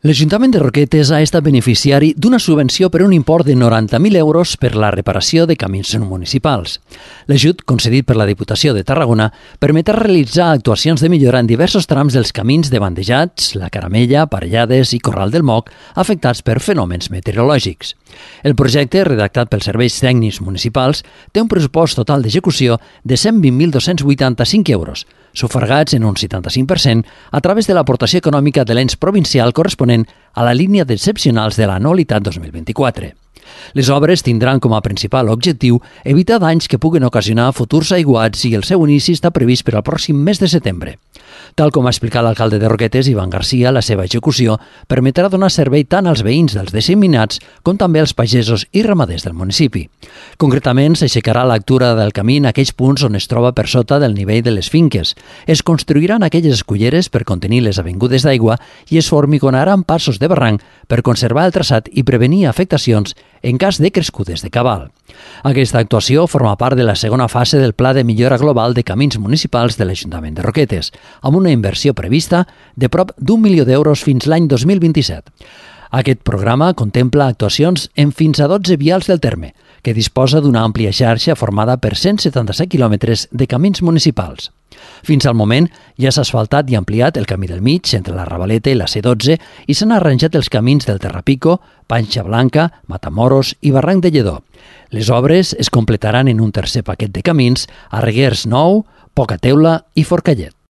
L'Ajuntament de Roquetes ha estat beneficiari d'una subvenció per un import de 90.000 euros per la reparació de camins municipals. L'ajut, concedit per la Diputació de Tarragona, permetrà realitzar actuacions de millora en diversos trams dels camins de Bandejats, la Caramella, Parellades i Corral del Moc, afectats per fenòmens meteorològics. El projecte, redactat pels serveis tècnics municipals, té un pressupost total d'execució de 120.285 euros, sufragats en un 75% a través de l'aportació econòmica de l'ens provincial corresponent a la línia d'excepcionals de l'anualitat 2024. Les obres tindran com a principal objectiu evitar danys que puguen ocasionar futurs aiguats i el seu inici està previst per al pròxim mes de setembre. Tal com ha explicat l'alcalde de Roquetes, Ivan Garcia, la seva execució permetrà donar servei tant als veïns dels disseminats com també als pagesos i ramaders del municipi. Concretament, s'aixecarà l'altura del camí en aquells punts on es troba per sota del nivell de les finques. Es construiran aquelles esculleres per contenir les avingudes d'aigua i es formigonaran passos de barranc per conservar el traçat i prevenir afectacions en cas de crescudes de cabal. Aquesta actuació forma part de la segona fase del Pla de Millora Global de Camins Municipals de l'Ajuntament de Roquetes, amb una inversió prevista de prop d'1 milió d'euros fins l'any 2027. Aquest programa contempla actuacions en fins a 12 vials del terme, que disposa d'una àmplia xarxa formada per 177 quilòmetres de camins municipals. Fins al moment ja s'ha asfaltat i ampliat el camí del mig entre la Ravaleta i la C12 i s'han arranjat els camins del Terrapico, Panxa Blanca, Matamoros i Barranc de Lledó. Les obres es completaran en un tercer paquet de camins a Reguers Nou, Poca Teula i Forcallet.